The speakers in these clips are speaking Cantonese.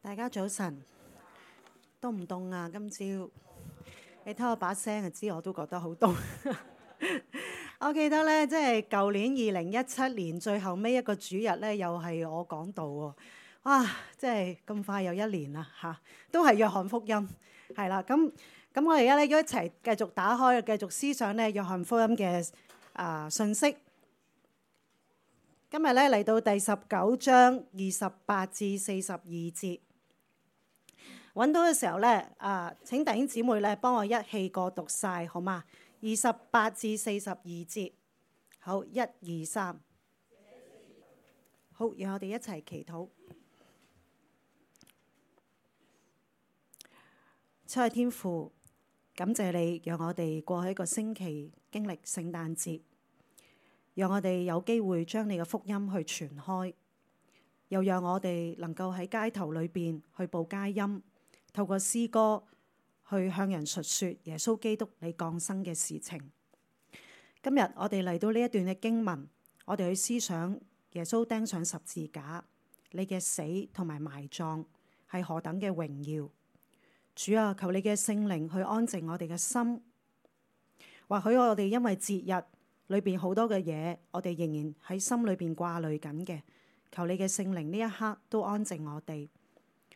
大家早晨，凍唔凍啊？今朝你聽我把聲就知，我都覺得好凍。我記得咧，即係舊年2017年最後尾一個主日咧，又係我講道喎。哇！即係咁快又一年啦嚇，都係約翰福音係啦。咁我哋而家咧一齊繼續打開，繼續思想咧約翰福音嘅信息。今日咧嚟到第19章28至42節。揾到嘅時候咧，請弟兄姊妹咧幫我一氣過讀晒，好嗎？28至42節，好，1、2、3，好，讓我哋一齊祈禱。親愛天父，感謝你，讓我哋過去一個星期經歷聖誕節，讓我哋有機會將你嘅福音去傳開，又讓我哋能夠喺街頭裏邊去報佳音。透過詩歌去向人述說耶穌基督你降生嘅事情。今日我哋嚟到呢一段嘅經文，我哋去思想耶穌釘上十字架，你嘅死同埋埋葬係何等嘅榮耀。主啊，求你嘅聖靈去安靜我哋嘅心。或許我哋因為節日裏邊好多嘅嘢，我哋仍然喺心裏邊掛慮緊嘅。求你嘅聖靈呢一刻都安靜我哋。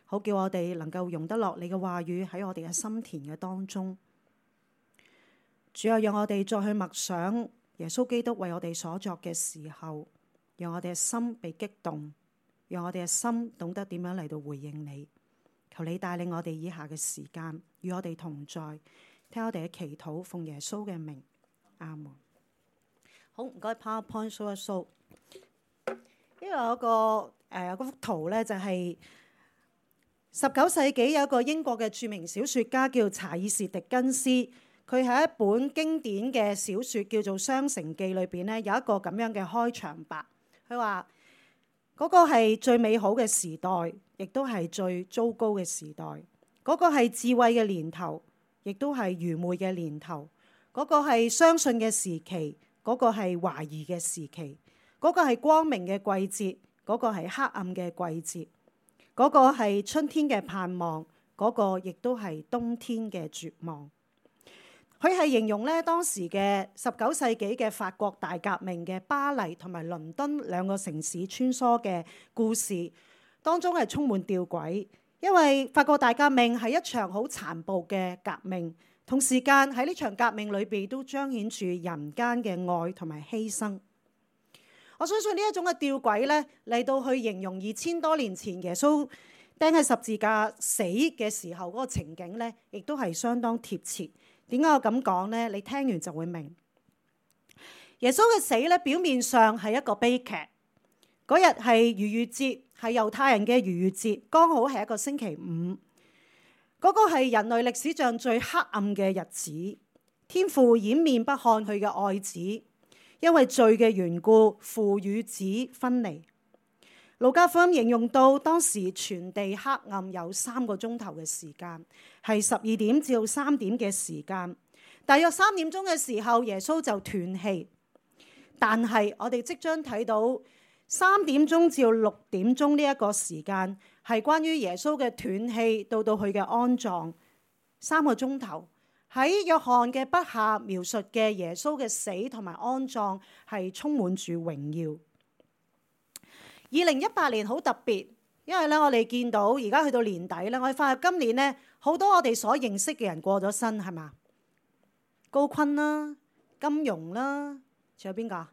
好叫我哋能夠容得落你嘅話語喺我哋嘅心田嘅當中。主啊，讓我哋再去默想耶穌基督為我哋所作嘅時候，讓我哋嘅心被激動，讓我哋嘅心懂得點樣嚟到回應你。求你帶領我哋以下嘅時間與我哋同在，聽我哋嘅祈禱，奉耶穌嘅名，阿門。好，唔該 PowerPoint show 一 show。呢個有個幅圖咧，就係19世紀有一個英國嘅著名小說家叫查爾士狄更斯，佢喺一本經典嘅小說叫做《雙城記》裏邊咧，有一個咁樣嘅開場白。佢話嗰個係最美好嘅時代，亦都係最糟糕嘅時代。嗰個係智慧嘅年頭，亦都係愚昧嘅年頭。嗰個係相信嘅時期，嗰個係懷疑嘅時期。嗰個係光明嘅季節，嗰個係黑暗嘅季節。嗰個係春天嘅盼望，嗰個亦都係冬天嘅絕望。佢係形容咧當時嘅19世紀嘅法國大革命嘅巴黎同埋倫敦兩個城市穿梭嘅故事，當中係充滿吊詭，因為法國大革命係一場好殘暴嘅革命，同時間喺呢場革命裏邊都彰顯住人間嘅愛同埋犧牲。我相信呢一種嘅吊詭咧，嚟到去形容2000多年前耶穌釘喺十字架死嘅時候嗰個情景咧，亦都係相當貼切。點解我咁講咧？你聽完就會明。耶穌嘅死咧，表面上係一個悲劇。嗰日係逾越節，係猶太人嘅逾越節，剛好係一個星期五。嗰個係人類歷史上最黑暗嘅日子。天父掩面不看佢嘅愛子。因為罪嘅緣故，父與子分離。路加福音形容到當時全地黑暗有3個鐘頭嘅時間，係12點至到3點嘅時間。大約3點鐘嘅時候，耶穌就斷氣。但係我哋即將睇到3點鐘至到6點鐘呢一個時間，係關於耶穌嘅斷氣到佢嘅安葬3個鐘頭。喺約翰嘅筆下描述嘅耶穌嘅死同埋安葬係充滿住榮耀。2018年好特別，因為咧我哋見到而家去到年底咧，我哋發現今年咧好多我哋所認識嘅人過咗身，係嘛？高錕啦、金庸啦，仲有邊個？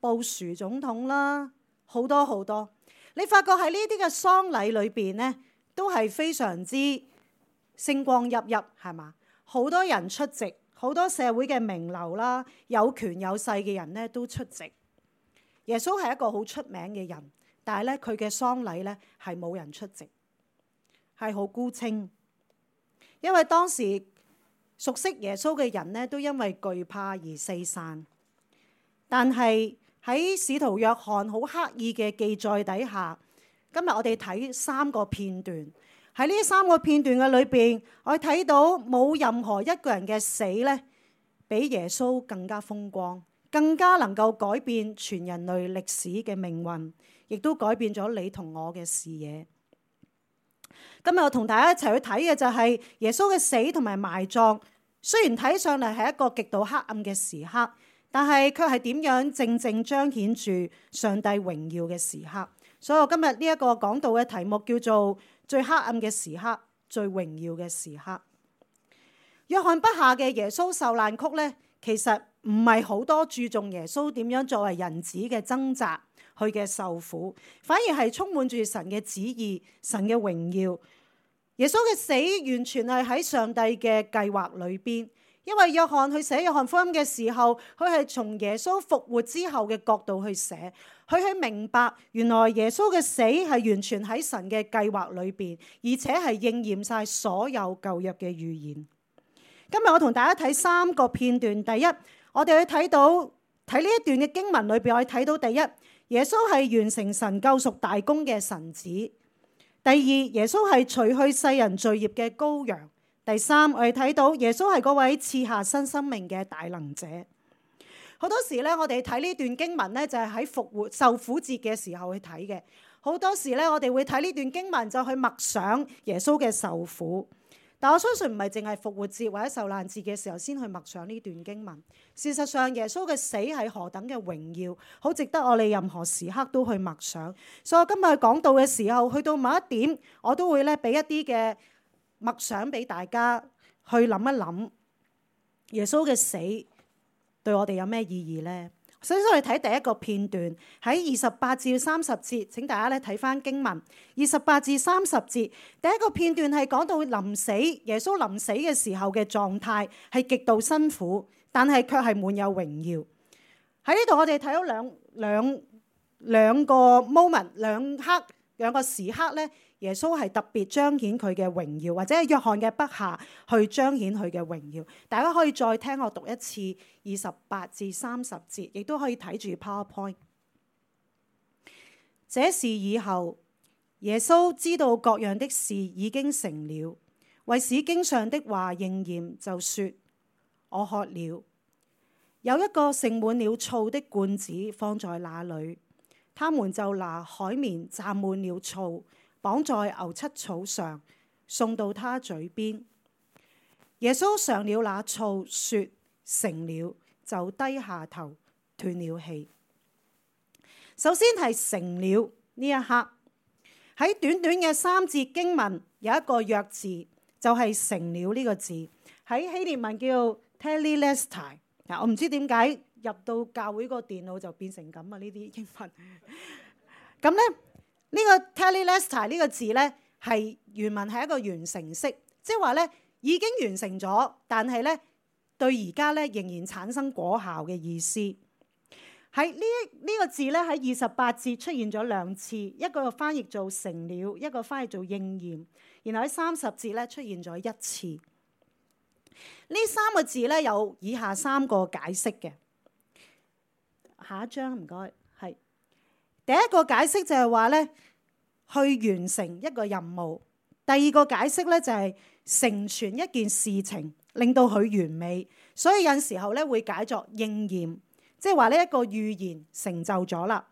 布殊總統啦，好多好多。你發覺喺呢啲嘅喪禮裏邊咧，都係非常之星光熠熠，係嘛？好多人出席，好多社會嘅名流啦，有權有勢嘅人咧都出席。耶穌係一個好出名嘅人，但係咧佢嘅喪禮咧係冇人出席，係好孤清。因為當時熟悉耶穌嘅人咧都因為懼怕而四散。但係喺使徒約翰好刻意嘅記載底下，今日我哋睇3個片段。喺呢3個片段嘅裏邊，我睇到冇任何一個人嘅死咧，比耶穌更加風光，更加能夠改變全人類歷史嘅命運，亦都改變咗你同我嘅視野。今日我同大家一齊去睇嘅就係耶穌嘅死同埋埋葬。雖然睇上嚟係一個極度黑暗嘅時刻，但係卻係點樣正正彰顯住上帝榮耀嘅時刻。所以我今日呢一個講道嘅題目叫做最黑暗嘅時刻，最榮耀嘅時刻。約翰筆下嘅耶穌受難曲呢，其實唔係好多注重耶穌點樣作為人子嘅掙扎，佢嘅受苦，反而係充滿住神嘅旨意、神嘅榮耀。耶穌嘅死完全係喺上帝嘅計劃裏邊，因為約翰去寫約翰福音嘅時候，佢係從耶穌復活之後嘅角度去寫，佢去明白原來耶穌嘅死係完全喺神嘅計劃裏邊，而且係應驗晒所有舊約嘅預言。今日我同大家睇3個片段。第一，我哋去睇呢一段嘅經文裏邊，我哋睇到第一，耶穌係完成神救贖大功嘅神子；第二，耶穌係除去世人罪孽嘅羔羊；第三，我哋睇到耶穌係嗰位賜下新生命嘅大能者。好多時咧，我哋睇呢段經文咧，就係喺復活受苦節嘅時候去睇嘅。好多時咧，我哋會睇呢段經文就去默想耶穌嘅受苦。但我相信唔係淨係復活節或者受難節嘅時候先去默想呢段經文。事實上，耶穌嘅死係何等嘅榮耀，好值得我哋任何時刻都去默想。所以我今日講道嘅時候，去到某一點，我都會咧俾一啲嘅默想俾大家去諗一諗，耶穌嘅死對我哋有咩意義呢？首先我哋睇第一個片段，喺28至30節，請大家咧睇翻經文。28至30節，第一個片段係講到臨死，耶穌臨死嘅時候嘅狀態係極度辛苦，但係卻係滿有榮耀。喺呢度我哋睇到兩個 moment， 兩個時刻咧，耶穌係特別彰顯佢嘅榮耀，或者係約翰嘅筆下去彰顯佢嘅榮耀。大家可以再聽我讀一次28至30節，亦都可以睇住 PowerPoint。這事以後，耶穌知道各樣的事已經成了，為使經上的話應驗，就說：我渴了。有一個盛滿了醋的罐子放在那裏，他們就拿海綿蘸滿了醋，綁在牛膝草上，送到他嘴邊。耶穌嘗了那醋，說：成了，就低下頭，斷了氣。首先係成了呢一刻，喺短短嘅3節經文有一個約字，就係成了呢個字，喺希臘文叫 Tetelestai。嗱，我唔知點解入到教會個電腦就變成咁啊！呢啲英文咁咧，呢個 Tetelestai 呢個字咧係原文係一個完成式，即係話咧已經完成咗，但係咧對而家咧仍然產生果效嘅意思。喺呢個字咧喺28節出現咗2次，一個翻譯做成了，一個翻譯做應驗，然後喺30節咧出現咗1次。呢3個字咧有以下3個解釋嘅。下一張唔該，係第一個解釋就係話咧去完成一個任務，第二個解釋咧就係成全一件事情，令到佢完美，所以有時候咧會解作應驗，即係話呢一個預言成就咗啦。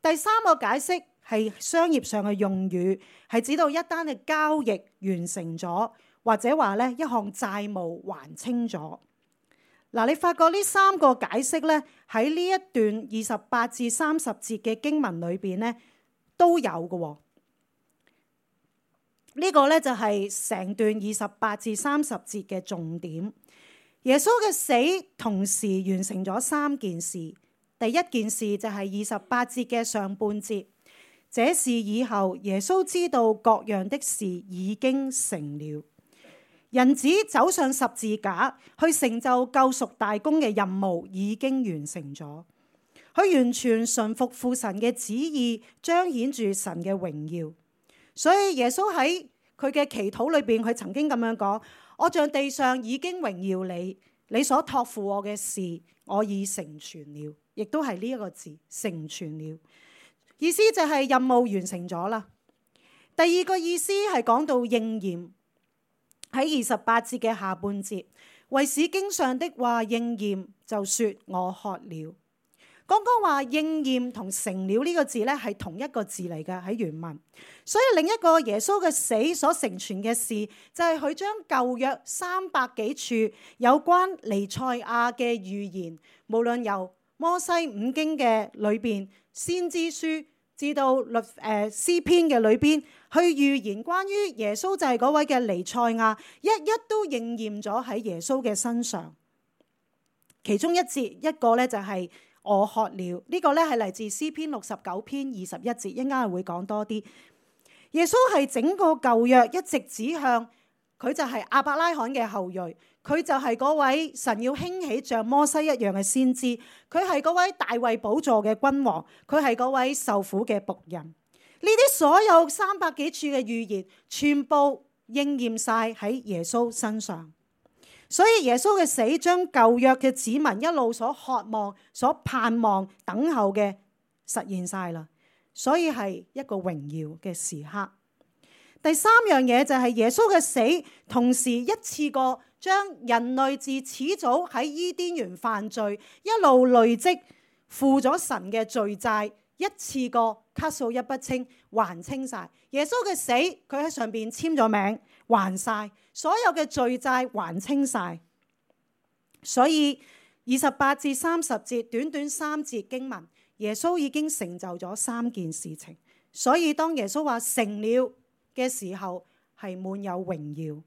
第三個解釋係商業上嘅用語，係指到一單嘅交易完成咗，或者話咧一項債務還清咗。嗱，你發覺呢3個解釋咧喺呢一段28至30節嘅經文裏邊咧都有嘅。呢個咧就係成段28至30節嘅重點。耶穌嘅死同時完成咗3件事。第一件事就係28節嘅上半節，這事以後，耶穌知道各樣的事已經成了。人子走上十字架去成就救贖大功嘅任務已經完成咗，佢完全順服父神嘅旨意，彰顯住神嘅榮耀。所以耶穌喺佢嘅祈禱裏邊，佢曾經咁樣講：我像地上已經榮耀你，你所託付我嘅事，我已成全了。亦都係呢一個字，成全了，意思就係任務完成咗啦。第二個意思係講到應驗。喺28節嘅下半節，為使經上的話應驗，就說我渴了。剛剛話應驗同成了呢個字咧係同一個字嚟嘅喺原文，所以另一個耶穌嘅死所成全嘅事就係佢將舊約300幾處有關彌賽亞嘅預言，無論由摩西五經嘅裏邊、先知書至到詩篇嘅裏邊，去預言關於耶穌就係嗰位嘅彌賽亞，一一都應驗咗喺耶穌嘅身上。其中一節一個咧就係我渴了，呢個咧係嚟自詩篇69篇21節，一陣間會講多啲。耶穌係整個舊約一直指向佢就係亞伯拉罕嘅後裔，佢就係嗰位神要興起像摩西一樣嘅先知，佢係嗰位大衛寶座嘅君王，佢係嗰位受苦嘅僕人。呢啲所有300幾處嘅預言，全部應驗晒喺耶穌身上。所以耶穌嘅死將舊約嘅子民一路所渴望、所盼望、等候嘅實現晒啦。所以係一個榮耀嘅時刻。第三樣嘢就係耶穌嘅死，同時一次過將人類自始祖喺伊甸園犯罪，一路累積負咗神嘅罪債，一次過卡數一筆清，還清晒。耶穌嘅死，佢喺上邊簽咗名，還晒所有嘅罪債，還清晒。所以28至30節，短短3節經文，耶穌已經成就咗3件事情。所以當耶穌話成了嘅時候，係滿有榮耀。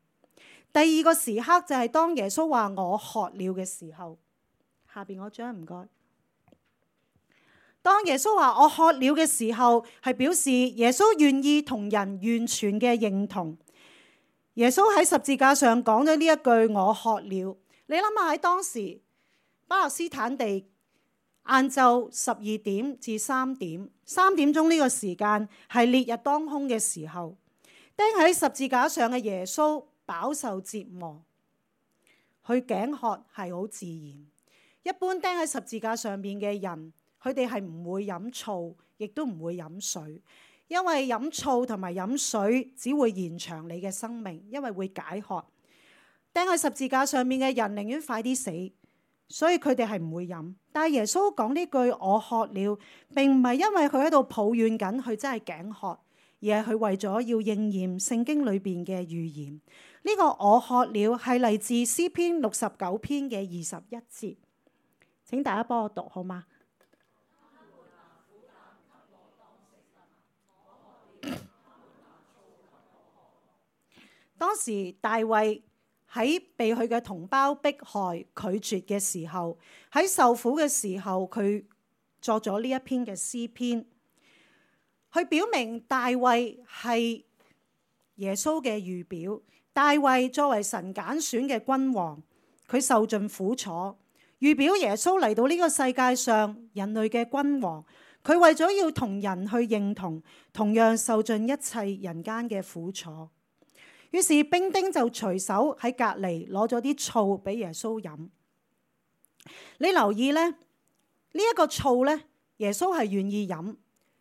第二個時刻就係當耶穌話我渴了嘅時候。下邊嗰張唔該。當耶穌話我渴了嘅時候，係表示耶穌願意同人完全嘅認同。耶穌喺十字架上講咗呢一句我渴了。你諗下喺當時巴勒斯坦地晏晝12點至3點，3點鐘呢個時間係烈日當空嘅時候，釘喺十字架上嘅耶穌飽受折磨，佢頸渴係好自然。一般釘喺十字架上面嘅人，佢哋係唔會飲醋，亦都唔會飲水，因為飲醋同埋飲水只會延長你嘅生命，因為會解渴。釘喺十字架上面嘅人寧願快啲死，所以佢哋係唔會飲。但係耶穌講呢句我渴了，並唔係因為佢喺度抱怨緊佢真係頸渴，而係佢為咗要應驗聖經裏邊嘅預言。呢個我渴了係嚟自詩篇69篇嘅21節，請大家幫我讀好嗎？當時大衛喺被佢嘅同胞迫害拒絕嘅時候，喺受苦嘅時候，佢作咗呢一篇嘅詩篇，去表明大衛係耶穌嘅預表。大衛作為神揀選嘅君王，佢受盡苦楚，預表耶穌嚟到呢個世界上人類嘅君王。佢為咗要同人去認同，同樣受盡一切人間嘅苦楚。於是兵丁就隨手喺隔離攞咗啲醋俾耶穌飲。你留意咧，呢一個醋咧，耶穌係願意飲。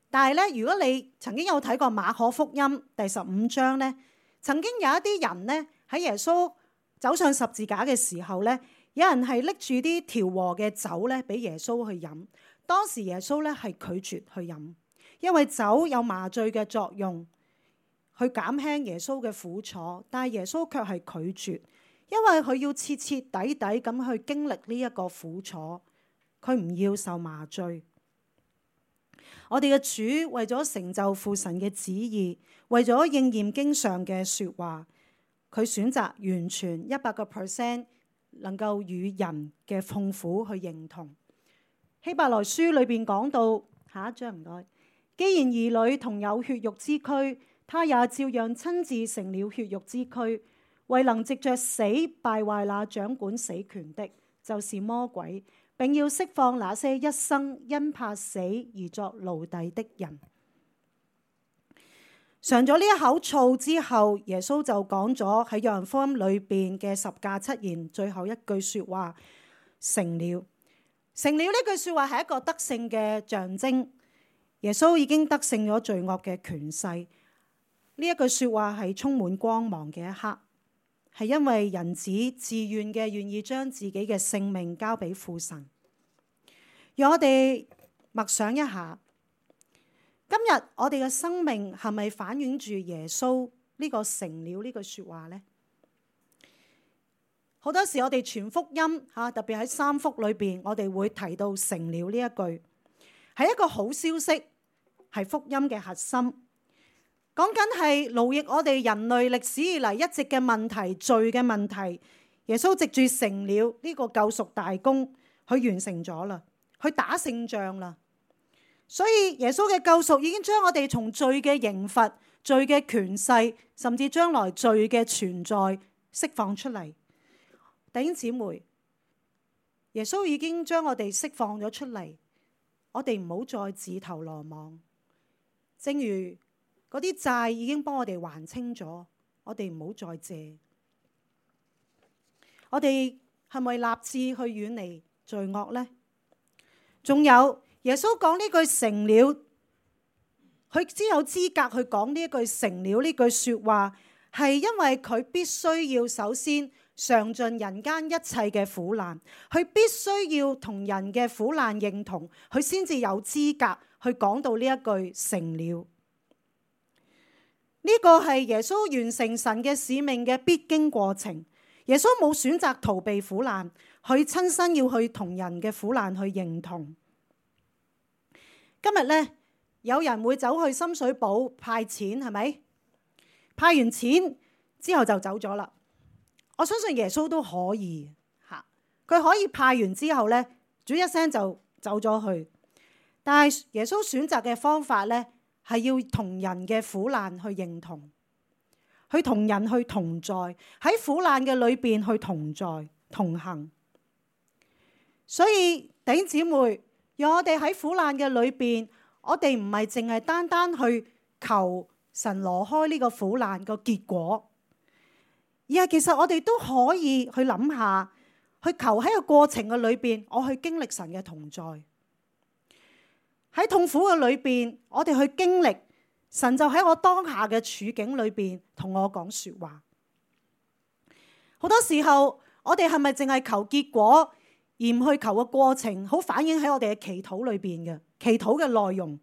但係咧，如果你曾經有睇過馬可福音第15章咧，曾經有一啲人咧喺耶穌走上十字架嘅時候咧，有人係拎住啲調和嘅酒咧俾耶穌去飲。當時耶穌咧係拒絕去飲，因為酒有麻醉嘅作用，去減輕耶穌嘅苦楚，但係耶穌卻係拒絕，因為佢要徹徹底底咁去經歷呢一個苦楚，佢唔要受麻醉。我哋嘅主為咗成就父神嘅旨意，為咗應驗經上嘅說話，佢選擇完全100% 能夠與人嘅痛苦去認同。希伯來書裏邊講到，下一章唔該，既然兒女同有血肉之軀，他也照樣親自成了血肉之軀，為能藉着死敗壞那掌管死權的，就是魔鬼，並要釋放那些一生因怕死而作奴隸的人。嘗咗呢一口醋之後，耶穌就講咗喺約翰福音裏邊嘅10架7言最後一句說話：成了。成了呢句說話係一個得勝嘅象徵，耶穌已經得勝咗罪惡嘅權勢。呢一句說話係充滿光芒嘅一刻，係因為人子自願嘅願意將自己嘅性命交俾父神。讓我哋默想一下，今日我哋嘅生命係咪反映住耶穌呢個成了呢句說話呢？好多時我哋傳福音特別喺三福裏邊，我哋會提到成了呢一句，係一個好消息，係福音嘅核心。講緊係勞役我哋人類歷史以嚟一直嘅問題，罪嘅問題，耶穌藉住成了呢個救贖大功，佢完成咗啦，佢打勝仗啦。所以耶穌嘅救贖已經將我哋從罪嘅刑罰、罪嘅權勢，甚至將來罪嘅存在釋放出嚟。弟兄姊妹，耶穌已經將我哋釋放咗出嚟，我哋唔好再自投羅網。正如嗰啲債已經幫我哋還清咗，我哋唔好再借。我哋係咪立志去遠離罪惡呢？仲有耶穌講呢句成了，佢只有資格去講呢一句成了呢句說話，係因為佢必須要首先嘗盡人間一切嘅苦難，佢必須要同人嘅苦難認同，佢先至有資格去講到呢一句成了。呢個係耶穌完成神嘅使命嘅必經過程。耶穌冇選擇逃避苦難，佢親身要去同人嘅苦難去認同。今日呢，有人會走去深水埗派錢，係咪？派完錢之後就走咗啦。我相信耶穌都可以嚇，佢可以派完之後呢，煮一聲就走咗去。但係耶穌選擇嘅方法呢，係要同人嘅苦難去認同，去同人去同在，喺苦難嘅裏邊去同在同行。所以弟兄姊妹，讓我哋喺苦難嘅裏邊，我哋唔係淨係單單去求神挪開呢個苦難個結果，而係其實我哋都可以去諗下，去求喺個過程嘅裏邊，我去經歷神嘅同在。喺痛苦嘅裏邊，我哋去經歷神就喺我當下嘅處境裏邊同我講說話。好多時候我哋係咪淨係求結果，而唔去求個過程，好反映喺我哋嘅祈禱裏邊嘅祈禱嘅內容。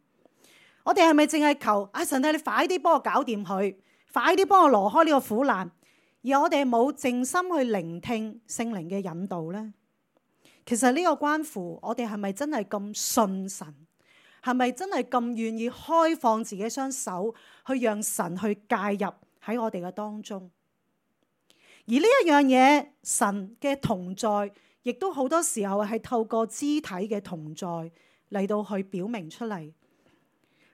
我哋係咪淨係求神啊，你快啲幫我搞掂佢，快啲幫我挪開呢個苦難，而我哋冇靜心去聆聽聖靈嘅引導呢？其實呢個關乎我哋係咪真係咁信神，係咪真係咁願意開放自己雙手去讓神去介入喺我哋嘅當中。而呢一樣嘢，神嘅同在亦都好多時候係透過肢體嘅同在嚟到去表明出嚟。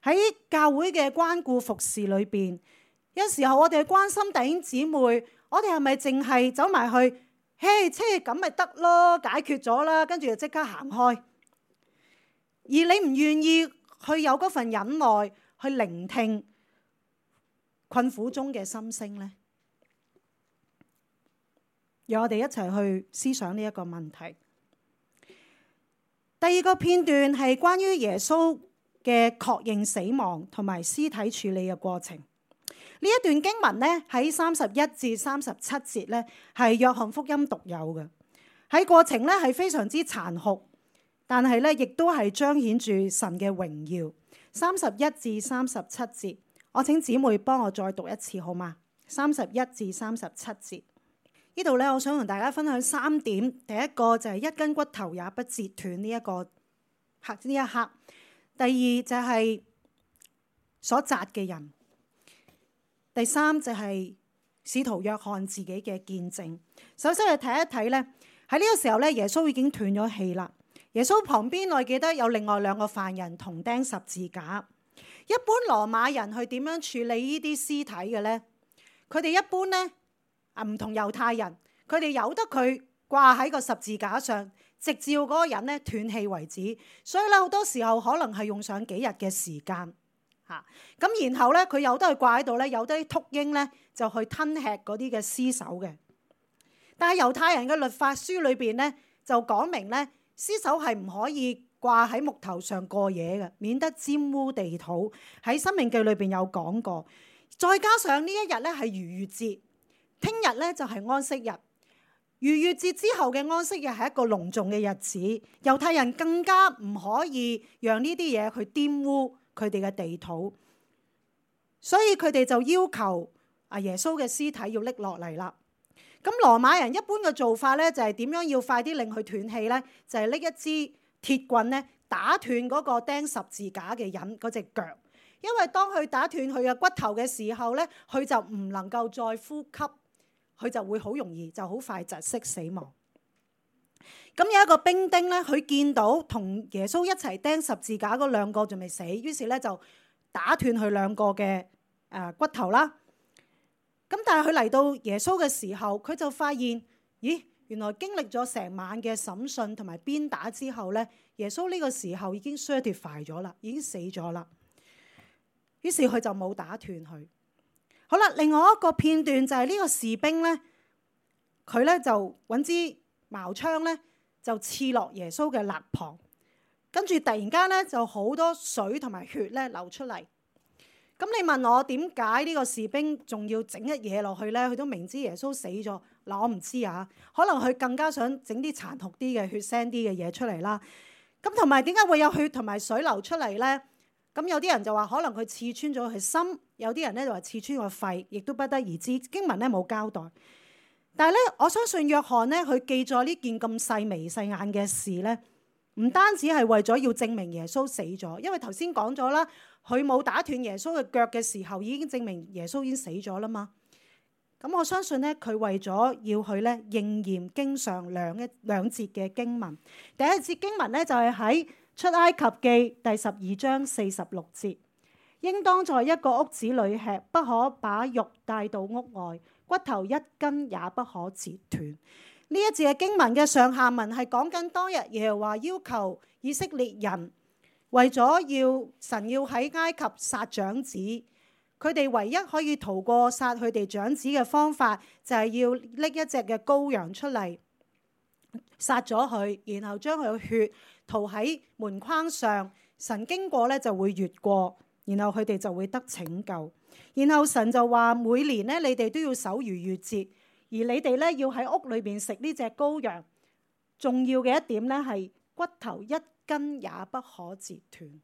喺教會嘅關顧服侍裏邊，有時候我哋關心弟兄姊妹，我哋係咪淨係走埋去，嘿，即係咁咪得咯，解決咗啦，跟住就即刻行開。而你唔願意去有嗰份忍耐，去聆聽困苦中嘅心聲呢？讓我哋一齊去思想呢一個問題。第二個片段係關於耶穌嘅確認死亡同埋屍體處理嘅過程。呢一段經文呢，喺31至37節呢，係約翰福音獨有嘅。喺過程呢，係非常之殘酷，但係呢，亦都係彰顯住神嘅榮耀。31至37節，我請姊妹幫我再讀一次好嗎？31至37節。呢度咧，我想同大家分享3點。第一個就係一根骨頭也不折斷呢一刻。第二就係所扎嘅人。第三就係使徒約翰自己嘅見證。首先去睇一睇咧，喺呢個時候咧，耶穌已經斷咗氣啦。耶穌旁邊我記得有另外2個犯人同釘十字架。一般羅馬人去點樣處理呢啲屍體嘅咧？佢哋一般咧，唔同猶太人，佢哋由得佢掛喺個十字架上，直至嗰個人咧斷氣為止。所以咧，好多時候可能係用上幾日嘅時間嚇。咁然後咧，佢由得佢掛喺度咧，有啲禿鷹咧就去吞吃嗰啲嘅屍首嘅。但係猶太人嘅律法書裏邊咧就講明咧，屍首係唔可以掛喺木頭上過夜嘅，免得沾污地土。喺申命記裏邊有講過。再加上呢一日咧係逾越節。聽日咧就係安息日，逾越節之後嘅安息日係一個隆重嘅日子，猶太人更加唔可以讓呢啲嘢去玷污佢哋嘅地土，所以佢哋就要求耶穌嘅屍體要拎落嚟啦。咁羅馬人一般嘅做法咧，就係點樣要快啲令佢斷氣咧？就係拎一支鐵棍咧，打斷嗰個釘十字架嘅人嗰隻腳，因為當佢打斷佢嘅骨頭嘅時候咧，佢就唔能夠再呼吸，佢就會好容易就好快窒息死亡。咁有一個兵丁咧，佢見到同耶穌一齊釘十字架嗰兩個仲未死，於是咧就打斷佢兩個嘅骨頭啦。咁但係佢嚟到耶穌嘅時候，佢就發現，咦，原來經歷咗成晚嘅審訊同埋鞭打之後咧，耶穌呢個時候已經 certify 咗啦，已經死咗啦。於是佢就冇打斷佢。好啦，另外一個片段就係呢個士兵咧，佢咧就揾支矛槍咧，就刺落耶穌嘅肋旁，跟住突然間咧就好多水同埋血咧流出嚟。咁你問我點解呢個士兵仲要整一嘢落去咧？佢都明知耶穌死咗。嗱，我唔知啊，可能佢更加想整啲殘酷啲嘅血腥啲嘅嘢出嚟啦。咁同埋點解會有血同埋水流出嚟咧？咁有啲人就話可能佢刺穿咗佢心，有啲人咧就話刺穿個肺，亦都不得而知。經文咧冇交代。但係咧，我相信約翰咧，佢記載呢件咁細眉細眼嘅事咧，唔單止係為咗要證明耶穌死咗，因為頭先講咗啦，佢冇打斷耶穌嘅腳嘅時候，已經證明耶穌已經死咗啦嘛。咁我相信咧，佢為咗要去咧應驗經上兩節嘅經文。第一節經文咧就係喺出埃及記第12章46節，應當在一個屋子裏吃，不可把肉帶到屋外，骨頭一根也不可折斷。呢一節嘅經文嘅上下文係講緊當日耶和華要求以色列人為咗神要喺埃及殺長子，佢哋唯一可以逃過殺佢哋長子嘅方法就係要拎一隻嘅羔羊出嚟殺咗佢，然後將佢嘅血塗喺門框上，神經過咧就會越過，然後佢哋就會得拯救。然後神就話每年咧你哋都要守逾越節，而你哋咧要喺屋裏邊食呢隻羔羊。重要嘅一點咧係骨頭一根也不可折斷。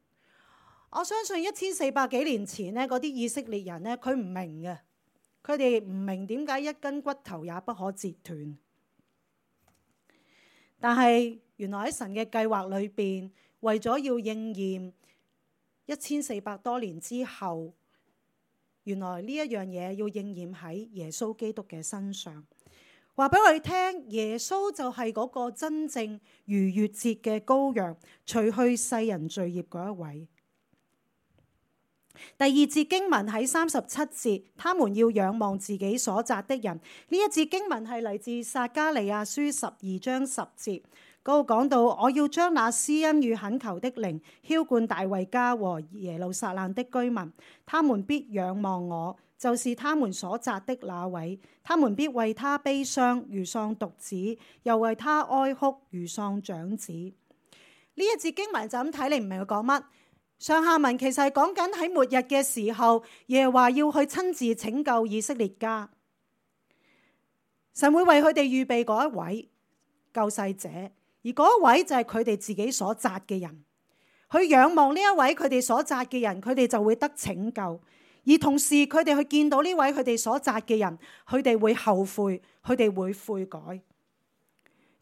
我相信1400幾年前咧嗰啲以色列人咧，佢唔明嘅，佢哋唔明點解一根骨頭也不可折斷。但係原來喺神嘅計劃裏邊，為咗要應驗1400多年之後，原來呢一樣嘢要應驗喺耶穌基督嘅身上。話俾我哋聽，耶穌就係嗰個真正逾越節嘅羔羊，除去世人罪孽嗰一位。第二節經文喺37節，他們要仰望自己所扎的人。呢一節經文係嚟自撒迦利亞書12章10節，嗰度講到，我要將那施恩與懇求的靈澆灌大衛家和耶路撒冷的居民，他們必仰望我，就是他們所扎的那位。他們必為他悲傷，如喪獨子，又為他哀哭，如喪長子。呢一節經文就咁睇，你唔明佢講乜？上下文其實係講緊喺末日嘅時候，耶和華要去親自拯救以色列家，神會為佢哋預備嗰一位救世者，而嗰一位就係佢哋自己所扎嘅人。去仰望呢一位佢哋所扎嘅人，佢哋就會得拯救。而同時佢哋去見到呢位佢哋所扎嘅人，佢哋會後悔，佢哋會悔改。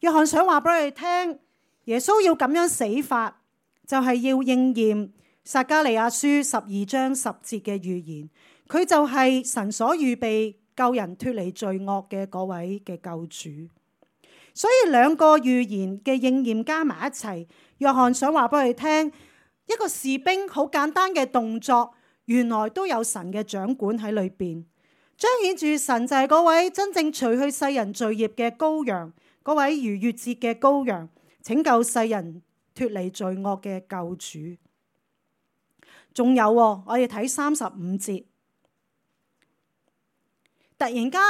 約翰想話俾佢哋聽，耶穌要咁樣死法，就係要應驗撒迦利亞書12章10節嘅預言，佢就係神所預備救人脫離罪惡嘅嗰位嘅救主。所以兩個預言嘅應驗加埋一齊，約翰想話俾佢哋聽，一個士兵好簡單嘅動作，原來都有神嘅掌管喺裏邊，彰顯住神就係嗰位真正除去世人罪孽嘅羔羊，嗰位逾越節嘅羔羊，拯救世人脫離罪惡嘅救主。仲有我哋睇35節，突然間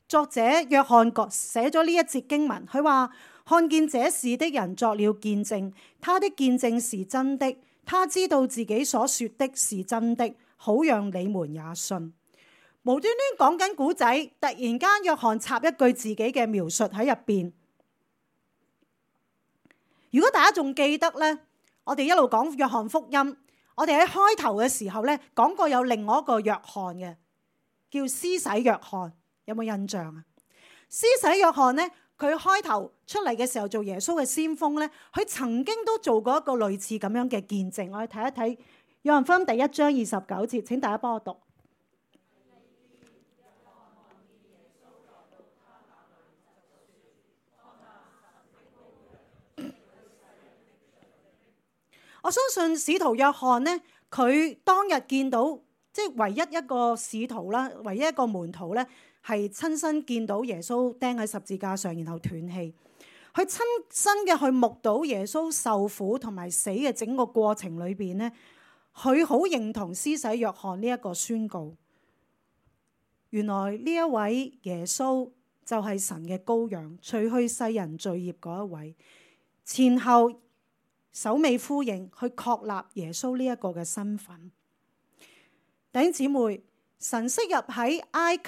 作者約翰寫咗呢一節經文，佢話看見這事的人作了見證，他的見證是真的，他知道自己所說的是真的，好讓你們也信。無端端講緊古仔，突然間約翰插一句自己嘅描述喺入邊。如果大家仲記得呢，我哋一路講約翰福音，我哋喺開頭嘅時候呢講過有另外一個約翰嘅，叫施洗約翰，有冇印象啊？施洗約翰呢，佢開頭出嚟嘅時候做耶穌嘅先鋒呢，佢曾經都做過一個類似咁樣嘅見證。我哋睇一睇約翰福音第1章29節，請大家幫我讀。我相信使徒約翰呢，佢當日見到即係唯一一個使徒啦，唯一一個門徒呢，係親身見到耶穌釘喺十字架上，然後斷氣。佢親身嘅去目睹耶穌受苦同埋死嘅整個過程裏邊呢，佢好認同施洗約翰呢一個宣告。原來呢一位耶穌就係神嘅羔羊，除去世人罪孽嗰一位，前後首尾呼應去確立耶穌呢一個嘅身份。弟兄姊妹，神昔日喺埃及，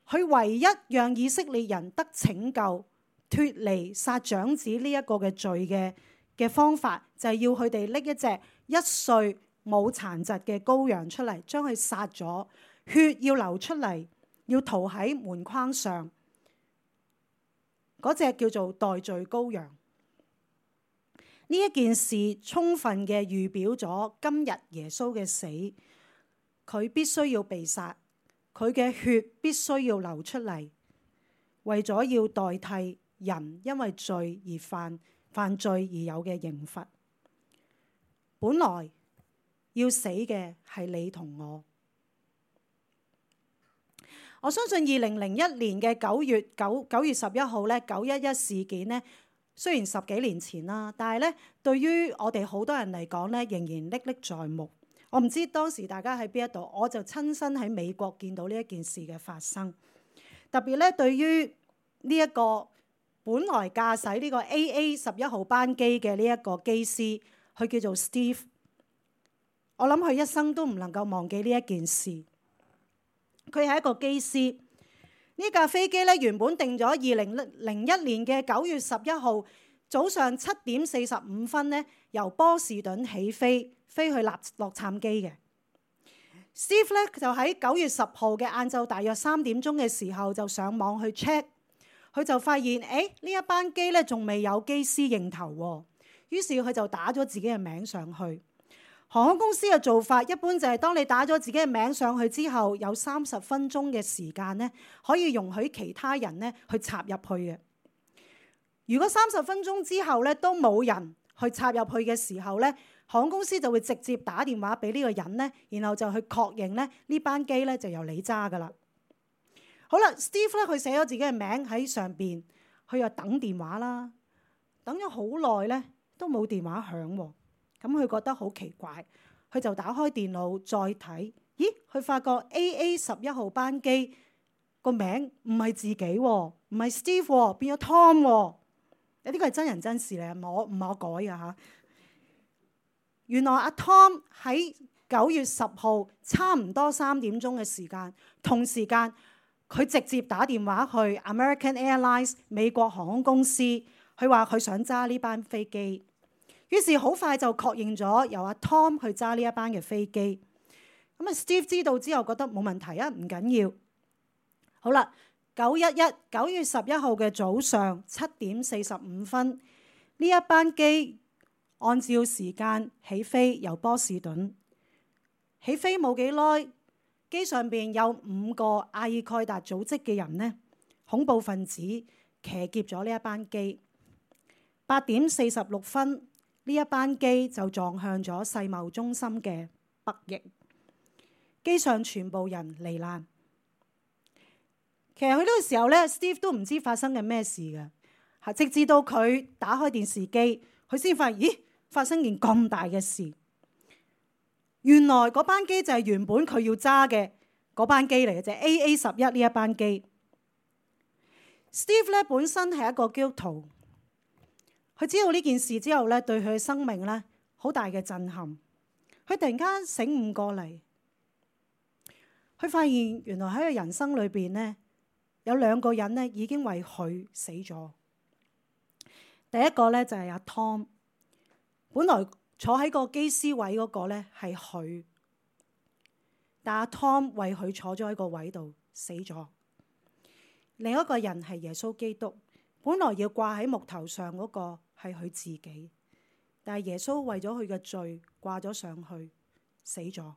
佢唯一讓以色列人得拯救、脫離殺長子呢一個嘅罪嘅方法，就係要佢哋拎一隻1歲冇殘疾嘅羔羊出嚟，將佢殺咗，血要流出嚟，要塗喺門框上。嗰隻叫做代罪羔羊。呢一件事充分嘅預表咗今日耶穌嘅死，佢必須要被殺，佢嘅血必須要流出嚟，為咗要代替人因為罪而犯罪而有嘅刑罰。本來要死嘅係你同我。我相信2001年嘅9月11號咧911事件呢，雖然10幾年前啦，但係咧對於我哋好多人嚟講咧，仍然歷歷在目。我唔知當時大家喺邊一度，我就親身喺美國見到呢一件事嘅發生。特別咧，對於呢一個本來駕駛呢個 AA11號班機嘅呢一個機師，佢叫做 Steve。我諗佢一生都唔能夠忘記呢一件事。佢係一個機師。呢架飛機咧原本定咗2001年嘅9月11號早上7點45分咧，由波士頓起飛去洛杉磯嘅。Steve 咧就喺9月10號嘅晏晝大約3點鐘嘅時候就上網去 check， 佢就發現呢一班機咧仲未有機師認頭喎，於是佢就打咗自己嘅名上去。航空公司嘅做法一般就係當你打咗自己嘅名上去之後，有30分鐘嘅時間咧，可以容許其他人咧去插入去嘅。如果30分鐘之後咧都冇人去插入去嘅時候咧，航空公司就會直接打電話俾呢個人咧，然後就去確認咧呢班機咧就由你揸噶啦。好啦 ，Steve 咧佢寫咗自己嘅名喺上邊，佢又等電話啦，等咗好耐咧都冇電話響喎。咁佢覺得好奇怪，佢就打開電腦再睇，咦？佢發覺 AA11號班機個名唔係自己喎，唔係 Steve 喎，變咗 Tom 喎。呢個係真人真事嚟，唔係我改嘅嚇。原來阿 Tom 喺9月10號差唔多3點鐘嘅時間，同時間佢直接打電話去 American Airlines 美國航空公司，佢話佢想揸呢班飛機。於是好快就確認咗由阿 Tom 去揸呢一班嘅飛機。咁啊 Steve 知道之後覺得冇問題啊，唔緊要。好啦，9月11號嘅早上7點45分，呢一班機按照時間起飛，由波士頓起飛冇幾耐，機上邊有5個阿爾蓋達組織嘅人呢，恐怖分子騎劫咗呢一班機。8點46分。呢一班機就撞向咗世貿中心嘅北翼，機上全部人罹難。其實佢呢個時候咧 ，Steve 都唔知發生緊咩事嘅，直至到佢打開電視機，佢先發現，咦，發生件咁大嘅事。原來嗰班機就係原本佢要揸嘅嗰班機嚟嘅啫，AA11呢一班機。Steve 咧本身係一個基督徒。佢知道呢件事之後咧，對佢嘅生命咧好大嘅震撼。佢突然間醒悟過嚟，佢發現原來喺佢人生裏邊呢，有兩個人呢已經為佢死咗。第一個呢就係阿 Tom， 本來坐喺個機師位嗰個呢係佢，但阿 Tom 為佢坐咗喺個位度死咗。另一個人係耶穌基督，本來要掛喺木頭上嗰個係佢自己，但係耶穌為咗佢嘅罪掛咗上去死咗。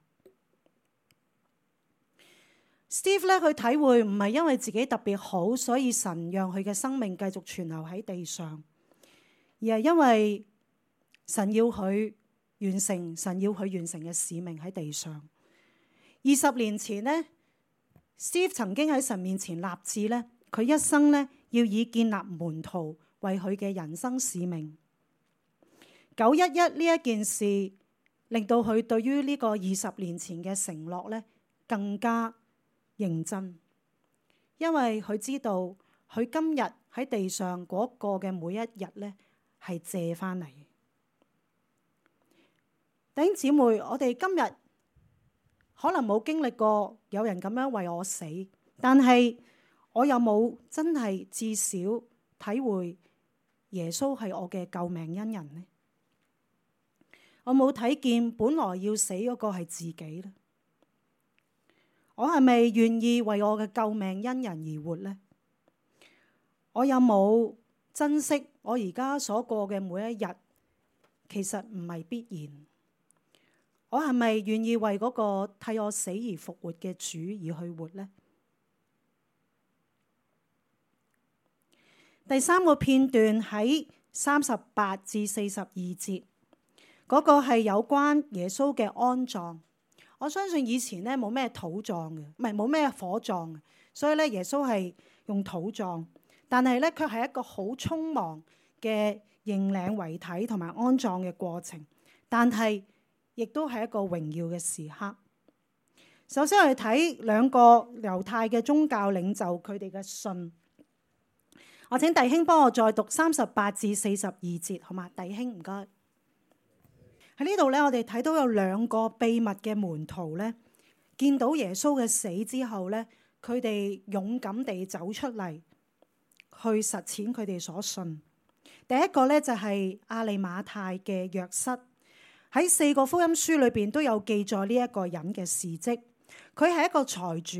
Steve 咧，佢體會唔係因為自己特別好，所以神讓佢嘅生命繼續存留喺地上，而係因為神要佢完成嘅使命喺地上。20年前呢， Steve 曾經喺神面前立志呢，佢一生呢要以建立門徒為佢嘅人生使命。911呢一件事令到佢對於呢個20年前嘅承諾呢更加認真，因為佢知道佢今日喺地上嗰個嘅每一日呢係借翻嚟。弟兄姊妹，我哋今日可能冇經歷過有人咁樣為我死，但係我有冇真係至少體會耶穌係我嘅救命恩人呢？我冇睇見本來要死嗰個係自己呢？我係咪願意為我嘅救命恩人而活呢？我有冇珍惜我而家所過嘅每一日？其實唔係必然。我係咪願意為嗰個替我死而復活嘅主而去活呢？第三個片段喺38至42節，嗰個係有關耶穌嘅安葬。我相信以前咧冇咩土葬嘅，唔係冇咩火葬嘅，所以咧耶穌係用土葬，但係咧卻係一個好匆忙嘅認領遺體同埋安葬嘅過程，但係亦都係一個榮耀嘅時刻。首先我哋睇兩個猶太嘅宗教領袖佢哋嘅信。我請弟兄幫我再讀38至42節，好嘛？弟兄唔該。喺呢度咧，我哋睇到有兩個秘密嘅門徒咧，見到耶穌嘅死之後咧，佢哋勇敢地走出嚟去實踐佢哋所信。第一個咧就係亞利馬太嘅約瑟，喺4個福音書裏邊都有記載呢一個人嘅事蹟。佢係一個財主，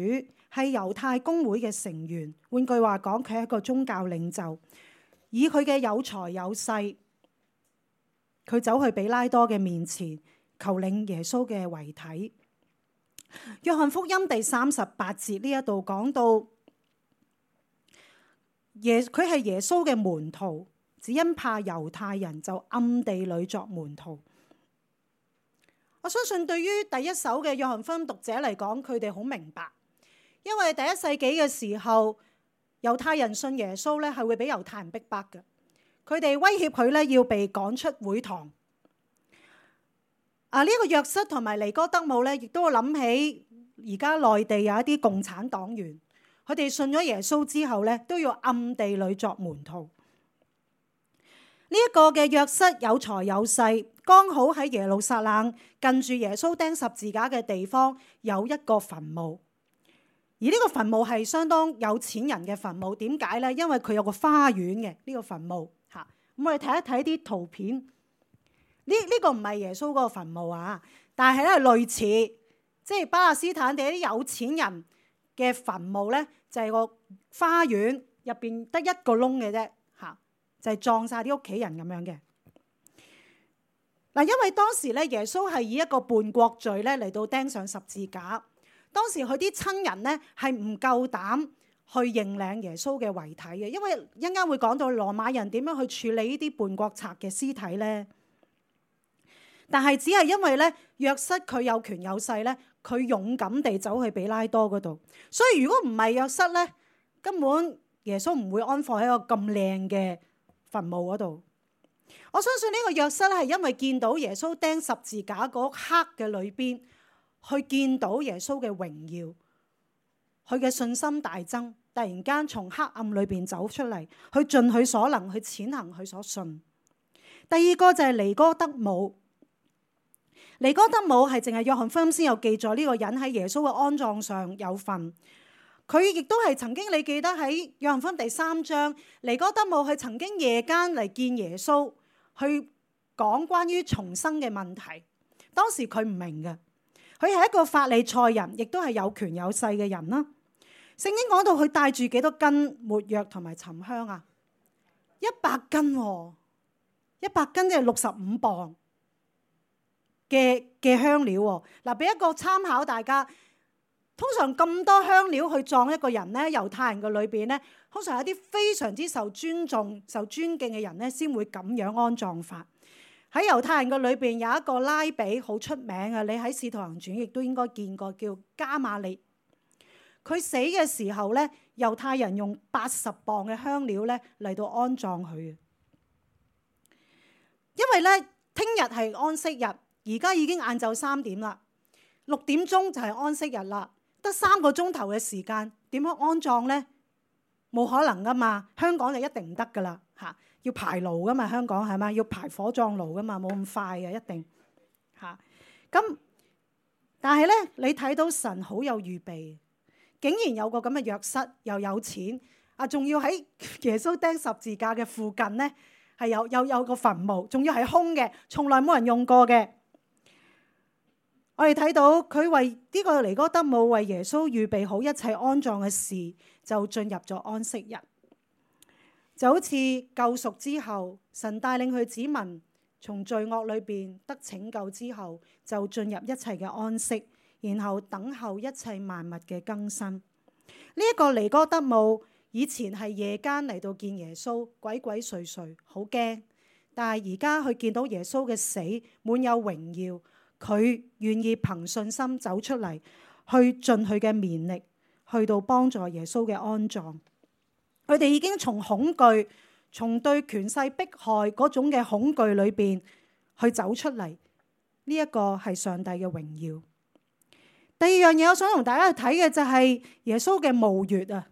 係猶太公會嘅成員。換句話講，佢係一個宗教領袖。以佢嘅有財有勢，佢走去比拉多嘅面前求領耶穌嘅遺體。約翰福音第38節呢一度講到，佢係耶穌嘅門徒，只因怕猶太人就暗地裏作門徒。我相信對於第一手嘅約翰福音讀者嚟講，佢哋好明白，因為第1世紀嘅時候，猶太人信耶穌咧係會俾猶太人逼迫嘅。佢哋威脅佢咧要被趕出會堂。呢個約瑟同埋尼哥德姆咧，亦都會諗起而家內地有一啲共產黨員，佢哋信咗耶穌之後咧，都要暗地裏作門徒。呢一個嘅約瑟有財有勢，剛好喺耶路撒冷近住耶穌釘十字架嘅地方有一個墳墓，而呢個墳墓係相當有錢人嘅墳墓。點解呢？因為佢有個花園嘅呢個墳墓嚇。咁我哋睇一睇啲圖片，呢個唔係耶穌嗰個墳墓啊，但係咧類似，即係巴勒斯坦地啲有錢人嘅墳墓咧，就係個花園入邊得一個窿嘅啫嚇，就係葬晒啲屋企人咁樣嘅。嗱，因為當時咧耶穌係以一個叛國罪咧嚟到釘上十字架，當時佢啲親人咧係唔夠膽去認領耶穌嘅遺體嘅，因為一陣間會講到羅馬人點樣去處理呢啲叛國賊嘅屍體咧。但係只係因為咧約瑟佢有權有勢咧，佢勇敢地走去比拉多嗰度，所以如果唔係約瑟咧，根本耶穌唔會安放喺一個咁靚嘅墳墓嗰度。我相信呢個約瑟咧係因為見到耶穌釘十字架嗰刻嘅裏邊，去見到耶穌嘅榮耀，佢嘅信心大增，突然間從黑暗裏邊走出嚟，去盡佢所能去踐行佢所信。第二個就係尼哥德姆。尼哥德姆係淨係約翰福音先有記載呢個人喺耶穌嘅安葬上有份。佢亦都係曾經，你記得喺約翰福音第3章，尼哥德姆係曾經夜間嚟見耶穌，去講關於重生嘅問題。當時佢唔明嘅，佢係一個法利賽人，亦都係有權有勢嘅人啦。聖經講到佢帶住幾多斤沒藥同埋沉香啊？100斤喎，100斤即係65磅嘅香料喎。嗱，俾一個參考大家。通常咁多香料去葬一個人咧，猶太人嘅裏邊咧，通常有啲非常之受尊重、受尊敬嘅人咧，先會咁樣安葬法。喺猶太人嘅裏邊有一個拉比好出名嘅，你喺《使徒行傳》亦都應該見過，叫加馬列。佢死嘅時候咧，猶太人用80磅嘅香料咧嚟到安葬佢。因為咧，聽日係安息日，而家已經晏晝3點啦，6點鐘就係安息日啦。得3個鐘頭嘅時間，點樣安葬呢？冇可能噶嘛！香港就一定唔得噶啦嚇，要排爐噶嘛，香港係嘛？要排火葬爐噶嘛，冇咁快嘅一定嚇。咁但係咧，你睇到神好有預備，竟然有個咁嘅約瑟，又有錢啊，仲要喺耶穌釘十字架嘅附近咧，係有個墳墓，仲要係空嘅，從來冇人用過嘅。我哋睇到佢為呢個尼哥德姆為耶穌預備好一切安葬嘅事，就進入咗安息日。就好似救贖之後，神帶領佢子民從罪惡裏邊得拯救之後，就進入一切嘅安息，然後等候一切萬物嘅更新。呢一個尼哥德姆以前係夜間嚟到見耶穌，鬼鬼祟祟，好驚。但係而家佢見到耶穌嘅死滿有榮耀。佢願意憑信心走出嚟，去盡佢嘅綿力，去到幫助耶穌嘅安葬。佢哋已經從恐懼、從對權勢迫害嗰種嘅恐懼裏邊去走出嚟。呢一個係上帝嘅榮耀。第二樣嘢，我想同大家去睇嘅就係耶穌嘅墓穴啊。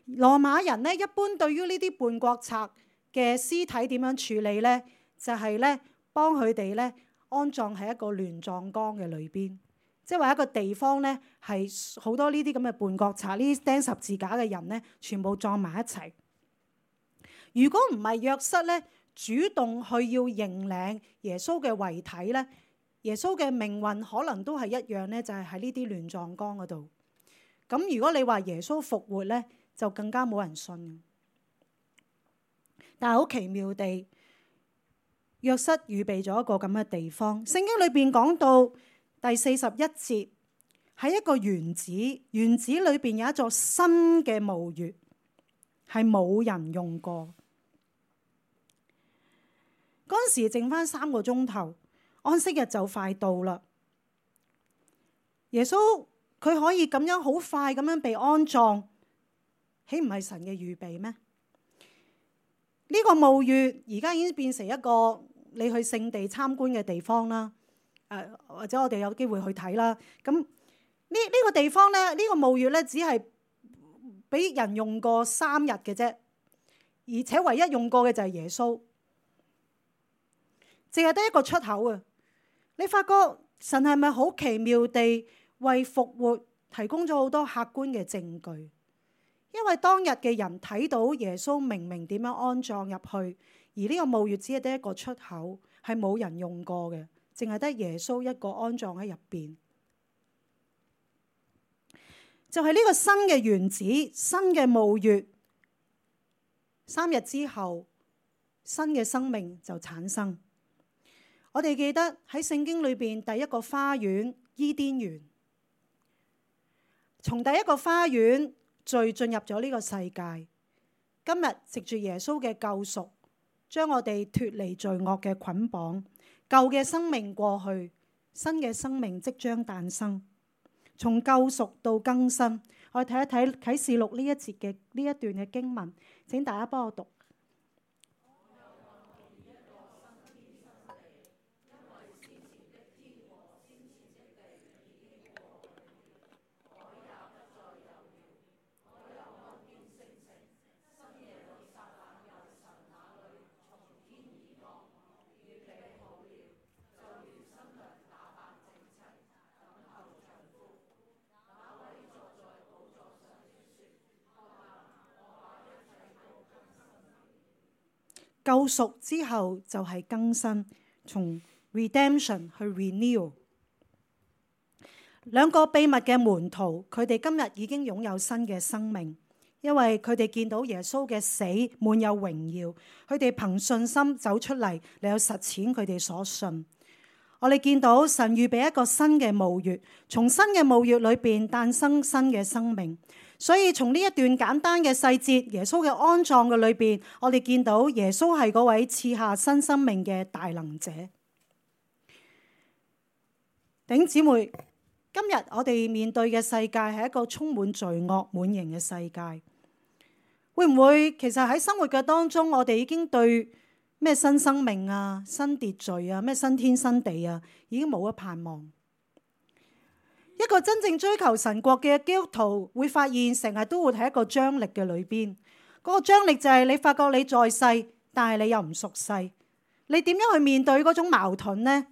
羅馬人呢，一般對於呢啲叛國賊嘅屍體點樣處理呢？就係咧幫佢哋咧。安葬喺一個亂葬崗嘅裏邊，即係話一個地方咧，係好多呢啲咁嘅叛國賊、呢啲釘十字架嘅人咧，全部葬埋一齊。如果唔係約瑟咧，主動去要認領耶穌嘅遺體咧，耶穌嘅命運可能都係一樣咧，就係喺呢啲亂葬崗嗰度。咁如果你話耶穌復活咧，就更加冇人信。但係好奇妙地，約瑟預備咗一個咁嘅地方。聖經裏邊講到第41節，喺一個園子，園子裏邊有一座新嘅墓穴，係冇人用過。嗰陣時剩翻3個鐘頭，安息日就快到啦。耶穌佢可以咁樣好快咁樣被安葬，豈唔係神嘅預備咩？呢個墓穴而家已經變成一個你去聖地參觀嘅地方啦，或者我哋有機會去睇啦。咁呢個地方咧，呢個墓穴咧，只係俾人用過3日嘅啫，而且唯一用過嘅就係耶穌，淨係得一個出口啊！你發覺神係咪好奇妙地為復活提供咗好多客觀嘅證據？因為當日嘅人睇到耶穌明明點樣安葬入去。而呢個墓穴只係得一個出口，係冇人用過嘅，淨係得耶穌一個安葬喺入邊。就係呢個新嘅園子、新嘅墓穴，3日之後，新嘅生命就產生。我哋記得喺聖經裏邊第一個花園伊甸園，從第一個花園罪進入咗呢個世界。今日藉住耶穌嘅救贖，將我哋脫離罪惡嘅捆綁，舊嘅生命過去，新嘅生命即將誕生。從救贖到更新，我哋睇一睇啟示錄呢一節嘅呢一段嘅經文，請大家幫我讀。救贖之後就係更新，從 redemption 去 renew。兩個秘密嘅門徒，佢哋今日已經擁有新嘅生命，因為佢哋見到耶穌嘅死滿有榮耀，佢哋憑信心走出嚟，嚟有實踐佢哋所信。我哋見到神預備一個新嘅墓穴，從新嘅墓穴裏邊誕生新嘅生命。所以從呢一段簡單嘅細節，耶穌嘅安葬嘅裏邊，我哋見到耶穌係嗰位賜下新生命嘅大能者。弟兄姊妹，今日我哋面對嘅世界係一個充滿罪惡滿盈嘅世界，會唔會其實喺生活嘅當中，我哋已經對咩新生命啊、新秩序啊、咩新天新地啊，已經冇咗盼望？一個真正追求神國嘅基督徒會發現，成日都會喺一個張力嘅裏邊。嗰個張力就係你發覺你在世，但係你又唔屬世，你點樣去面對嗰種矛盾呢？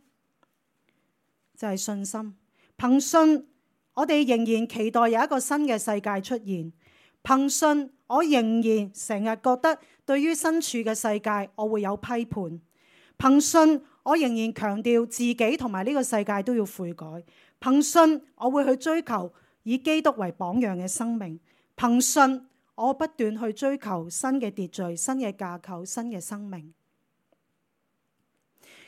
就係信心。憑信，我哋仍然期待有一個新嘅世界出現。憑信，我仍然成日覺得對於身處嘅世界，我會有批判。憑信，我仍然強調自己同埋呢個世界都要悔改。憑信，我會去追求以基督為榜樣嘅生命。憑信，我不斷去追求新嘅秩序、新嘅架構、新嘅生命。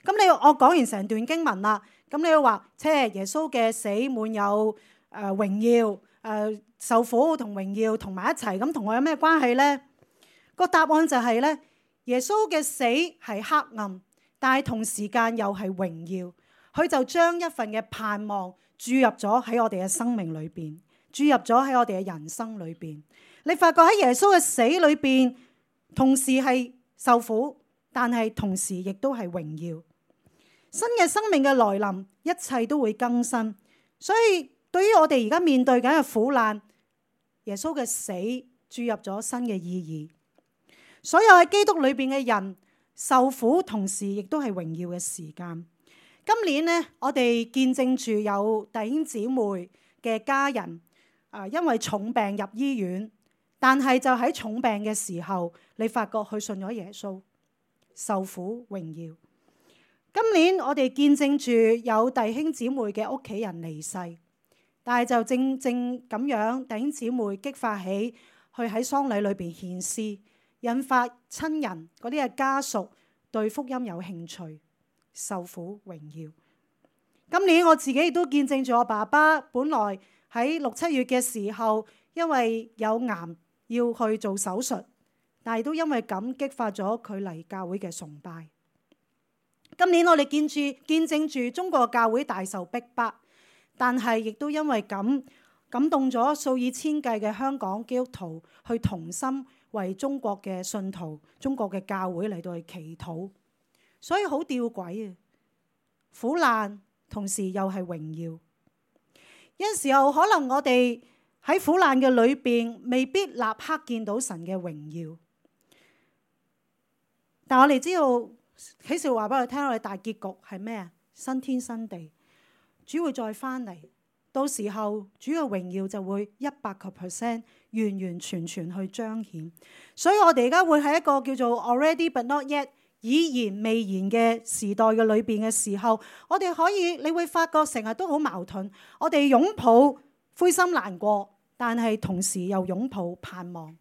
咁我講完成段經文啦，咁你要話，耶穌嘅死滿有榮耀，受苦同榮耀同埋一齊，咁同我有咩關係呢？個答案就係咧，耶穌嘅死係黑暗，但係同時間又係榮耀。佢就將一份嘅盼望注入咗喺我哋嘅生命裏邊，注入咗喺我哋嘅人生裏邊。你發覺喺耶穌嘅死裏邊，同時係受苦，但係同時亦都係榮耀。新嘅生命嘅來臨，一切都會更新。所以對於我哋而家面對緊嘅苦難，耶穌嘅死注入咗新嘅意義。所有喺基督裏邊嘅人受苦，同時亦都係榮耀嘅時間。今年呢，我哋見證住有弟兄姊妹嘅家人因為重病入醫院，但係就喺重病嘅時候，你發覺佢信咗耶穌，受苦榮耀。今年我哋見證住有弟兄姊妹嘅屋企人離世，但係就正咁樣，弟兄姊妹激發起去喺喪禮裏邊獻詩，引發親人嗰啲嘅家屬對福音有興趣。受苦榮耀。今年我自己亦都見證住我爸爸，本來喺6、7月嘅時候，因為有癌要去做手術，但係都因為咁激發咗佢嚟教會嘅崇拜。今年我哋見證住中國教會大受逼迫，但係亦都因為咁感動咗數以千計嘅香港基督徒去同心為中國嘅信徒、中國嘅教會嚟到去祈禱。所以好吊詭啊！苦難同時又係榮耀。有時候可能我哋喺苦難嘅裏邊，未必立刻見到神嘅榮耀。但我哋知道啟示錄話俾我哋聽，我哋大結局係咩啊？新天新地，主會再翻嚟，到時候主嘅榮耀就會100%完完全全去彰顯。所以我哋而家會喺一個叫做 already but not yet，已然未然嘅時代嘅裏邊嘅時候，我哋可以，你會發覺成日都好矛盾。我哋擁抱灰心難過，但係同時又擁抱盼望。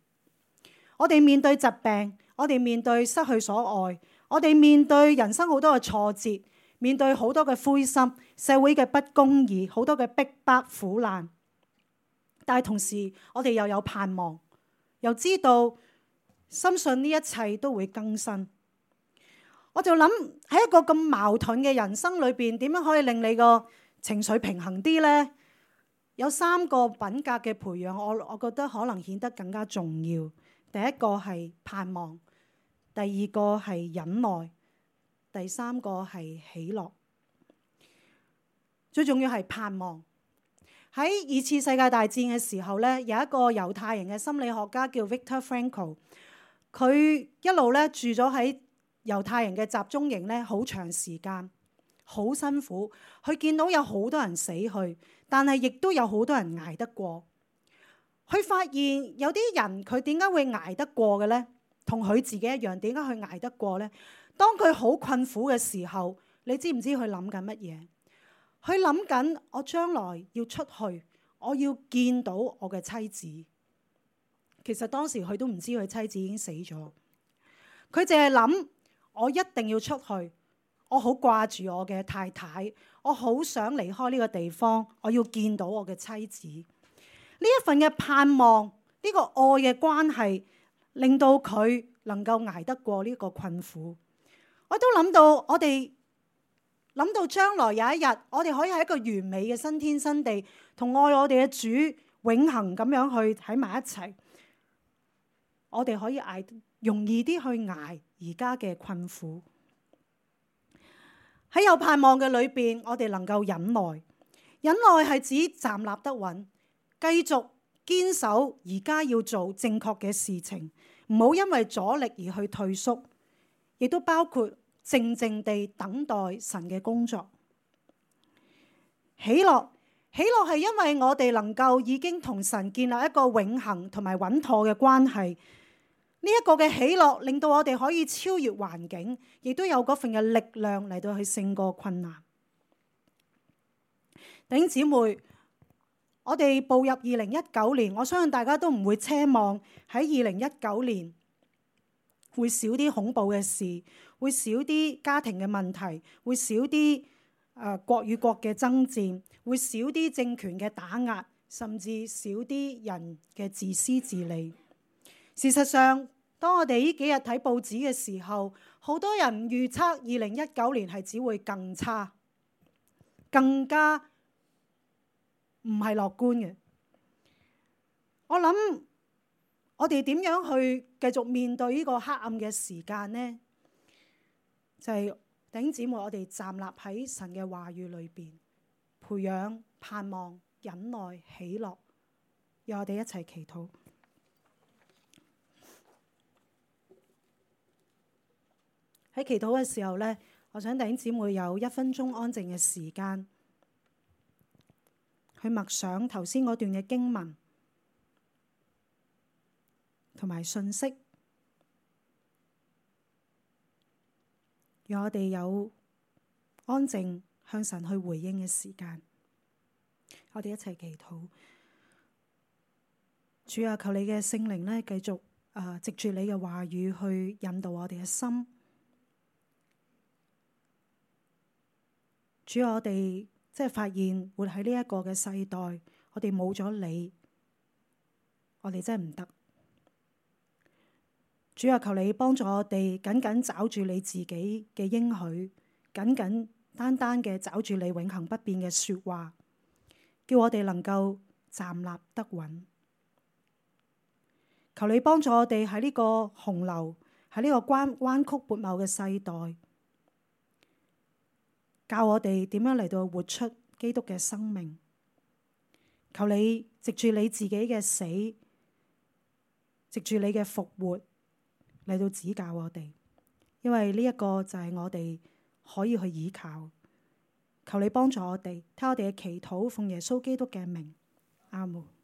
我哋面對疾病，我哋面對失去所愛，我哋面對人生好多嘅挫折，面對好多嘅灰心，社會嘅不公義，好多嘅逼迫苦難。但係同時，我哋又有盼望，又知道深信呢一切都會更新。我就諗喺一個咁矛盾嘅人生裏邊，點樣可以令你個情緒平衡啲呢？有3個品格嘅培養，我覺得可能顯得更加重要。第一個係盼望，第二個係忍耐，第3個係喜樂。最重要係盼望。喺2次世界大戰嘅時候呢，有一個猶太人嘅心理學家叫 Viktor Frankl， 佢一路咧住咗喺猶太人嘅集中營咧，好長時間，好辛苦。佢見到有好多人死去，但係亦都有好多人捱得過。佢發現有啲人佢點解會捱得過嘅呢？同佢自己一樣，點解佢捱得過呢？當佢好困苦嘅時候，你知唔知佢諗緊乜嘢？佢諗緊我將來要出去，我要見到我嘅妻子。其實當時佢都唔知佢妻子已經死咗，佢淨係諗我一定要出去，我好掛住我嘅太太，我好想離開呢個地方，我要見到我嘅妻子。呢一份嘅盼望，呢個愛嘅關係，令到佢能夠捱得過呢個困苦。我都諗到，我哋諗到將來有一日，我哋可以喺一個完美嘅新天新地，同愛我哋嘅主永恆咁樣去喺埋一齊。我哋可以容易啲去捱而家嘅困苦。喺有盼望嘅裏邊，我哋能夠忍耐。忍耐係指站立得穩，繼續堅守而家要做正確嘅事情，唔好因為阻力而去退縮。亦都包括靜靜地等待神嘅工作。喜樂係因為我哋能夠已經同神建立一個永恆同埋穩妥嘅關係。呢一個嘅喜樂令到我哋可以超越環境，亦都有嗰份嘅力量嚟到去勝過困難。弟兄姊妹，我哋步入2019年，我相信大家都唔會奢望喺2019年會少啲恐怖嘅事，會少啲家庭嘅問題，會少啲國與國嘅爭戰，會少啲政權嘅打壓，甚至少啲人嘅自私自利。事實上，當我哋呢幾日睇報紙嘅時候，好多人預測2019年係只會更差，更加唔係樂觀嘅。我諗我哋點樣去繼續面對呢個黑暗嘅時間呢？就係弟兄姊妹，我哋站立喺神嘅話語裏邊，培養盼望、忍耐、喜樂。讓我哋一齊祈禱。喺祈禱嘅時候呢，我想弟兄姊妹有1分鐘安靜嘅時間，去默想頭先嗰段嘅經文同埋信息，讓我哋有安靜向神去回應嘅時間。我哋一齊祈禱。主啊，求你嘅聖靈呢，繼續藉住你嘅話語去引導我哋嘅心。主啊，我哋即係發現活喺呢一個嘅世代，我哋冇咗你，我哋真係唔得。主啊，求你幫助我哋緊緊抓住你自己嘅應許，緊緊單單嘅抓住你永恆不變嘅說話，叫我哋能夠站立得穩。求你幫助我哋喺呢個洪流，喺呢個彎曲悖謬嘅世代，教我哋點樣嚟到活出基督嘅生命。求你藉住你自己嘅死，藉住你嘅復活嚟到指教我哋，因為呢一個就係我哋可以去依靠。求你幫助我哋，聽我哋嘅祈禱，奉耶穌基督嘅名，阿門。